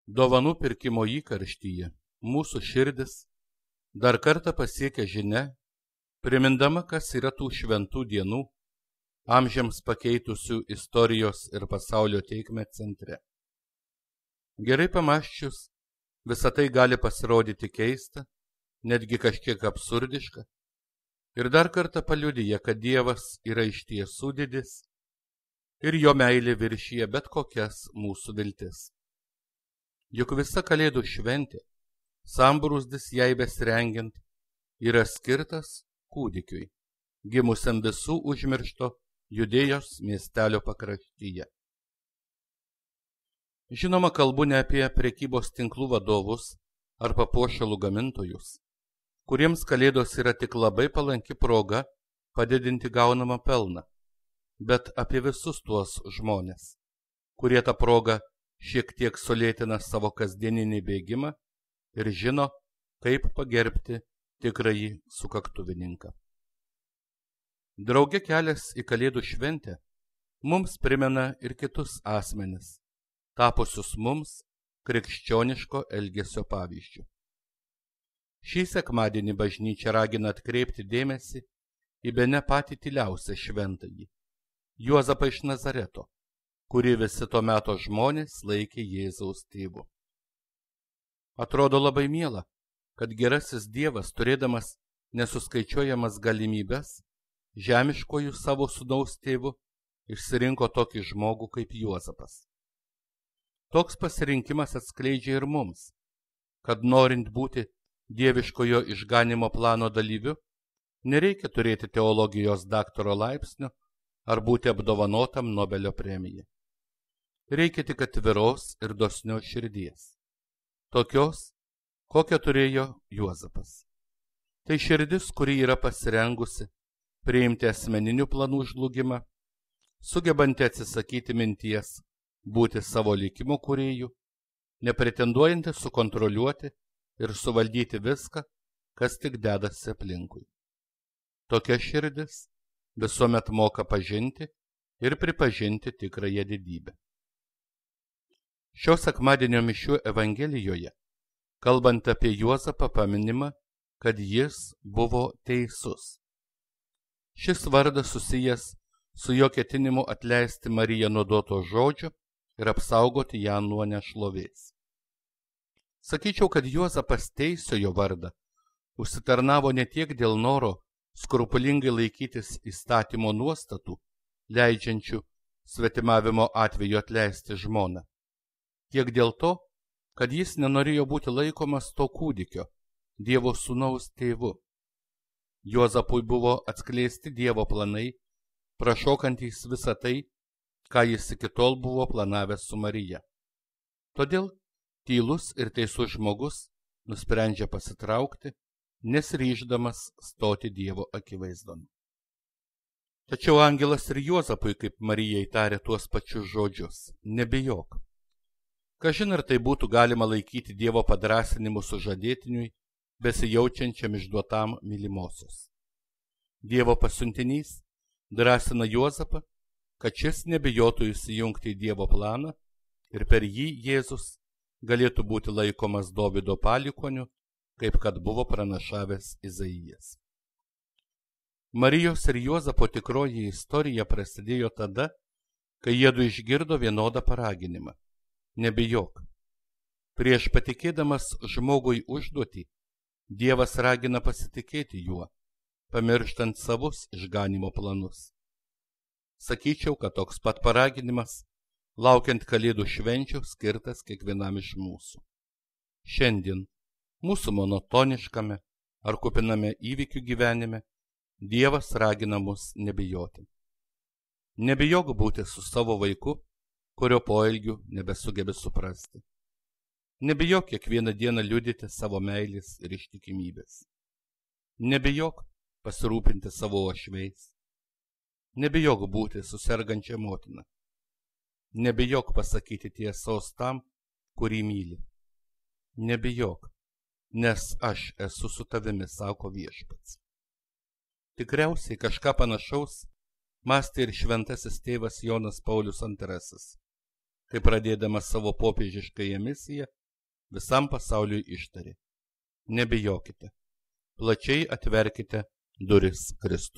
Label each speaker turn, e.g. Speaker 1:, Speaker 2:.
Speaker 1: Dovanų pirkimo įkarštyje mūsų širdis dar kartą pasiekia žinia, primindama, kas yra tų šventų dienų, amžiams pakeitusių istorijos ir pasaulio tėkmę centre. Gerai pamąsčius, visa tai gali pasirodyti keista, netgi kažkiek absurdiška, ir dar kartą paliudija, kad Dievas yra iš tiesų didis ir jo meilė viršyje bet kokias mūsų viltis. Juk visa Kalėdų šventė, sambrūzdis jai besirengiant, yra skirtas kūdikiui, gimusiam visų užmiršto Judėjos miestelio pakraštyje. Žinoma, kalbu ne apie prekybos tinklų vadovus ar papuošalų gamintojus, kuriems Kalėdos yra tik labai palanki proga padidinti gaunamą pelną, bet apie visus tuos žmonės, kurie tą progą šiek tiek sulėtina savo kasdieninį bėgimą ir žino, kaip pagerbti tikrąjį sukaktuvininką. Drauge kelias į Kalėdų šventę mums primena ir kitus asmenis, tapusius mums krikščioniško elgesio pavyzdžių. Šį sekmadienį bažnyčia ragina atkreipti dėmesį į bene patį tyliausią šventąjį, Juozapą iš Nazareto, kurį visi to meto žmonės laikė Jėzaus tėvu. Atrodo labai miela, kad gerasis Dievas, turėdamas nesuskaičiuojamas galimybes, žemiškojų savo sūnaus tėvu išsirinko tokį žmogų kaip Juozapas. Toks pasirinkimas atskleidžia ir mums, kad norint būti dieviškojo išganimo plano dalyviu, nereikia turėti teologijos daktaro laipsnio ar būti apdovanotam Nobelio premija. Reikia tik atviros ir dosnios širdies, tokios, kokią turėjo Juozapas. Tai širdis, kuri yra pasirengusi priimti asmeninių planų žlugimą, sugebanti atsisakyti minties būti savo likimo kūrėjų, nepretenduojanti sukontroliuoti ir suvaldyti viską, kas tik dedasi aplinkui. Tokia širdis visuomet moka pažinti ir pripažinti tikrąją didybę. Šio sekmadienio mišių Evangelijoje, kalbant apie Juozapą, paminima, kad jis buvo teisus. Šis vardas susijęs su jo ketinimu atleisti Mariją nuo duoto žodžio ir apsaugoti ją nuo nešlovės. Sakyčiau, kad Juozapas teisiojo vardą užsitarnavo ne tiek dėl noro skrupulingai laikytis įstatymo nuostatų, leidžiančių svetimavimo atveju atleisti žmoną, tiek dėl to, kad jis nenorėjo būti laikomas to kūdikio, Dievo sūnaus tėvu. Juozapui buvo atskleisti Dievo planai, prašokantys visą tai, ką jis iki tol buvo planavęs su Marija. Todėl tylus ir teisus žmogus nusprendžia pasitraukti, nesiryždamas stoti Dievo akivaizdon. Tačiau angelas ir Juozapui, kaip Marijai, tarė tuos pačius žodžius: nebijok. Kažin ar tai būtų galima laikyti Dievo padrąsinimu sužadėtiniui, besijaučiančiam išduotam mylimosios. Dievo pasiuntinys drąsina Juozapą, kad šis nebijotų įsijungti į Dievo planą ir per jį Jėzus galėtų būti laikomas Dovydo palikuoniu, kaip kad buvo pranašavęs Izaijas. Marijos ir Juozapo tikroji istorija prasidėjo tada, kai jiedu išgirdo vienodą paraginimą: nebijok. Prieš patikėdamas žmogui užduotį, Dievas ragina pasitikėti juo, pamirštant savus išganimo planus. Sakyčiau, kad toks pat paraginimas, laukiant Kalėdų švenčių, skirtas kiekvienam iš mūsų. Šiandien, mūsų monotoniškame ar kupiname įvykių gyvenime, Dievas ragina mus nebijoti. Nebijok būti su savo vaiku, kurio poelgių nebesugebi suprasti. Nebijok kiekvieną dieną liudyti savo meilės ir ištikimybės. Nebijok pasirūpinti savo uošviais. Nebijok būti su sergančia motina. Nebijok pasakyti tiesos tam, kurį myli. Nebijok, nes aš esu su tavimi, sako Viešpats. Tikriausiai kažką panašaus mąstė ir šventasis tėvas Jonas Paulius II, kai pradėdamas savo popiežiškąją misiją visam pasauliui ištarė: nebijokite, plačiai atverkite duris Kristui.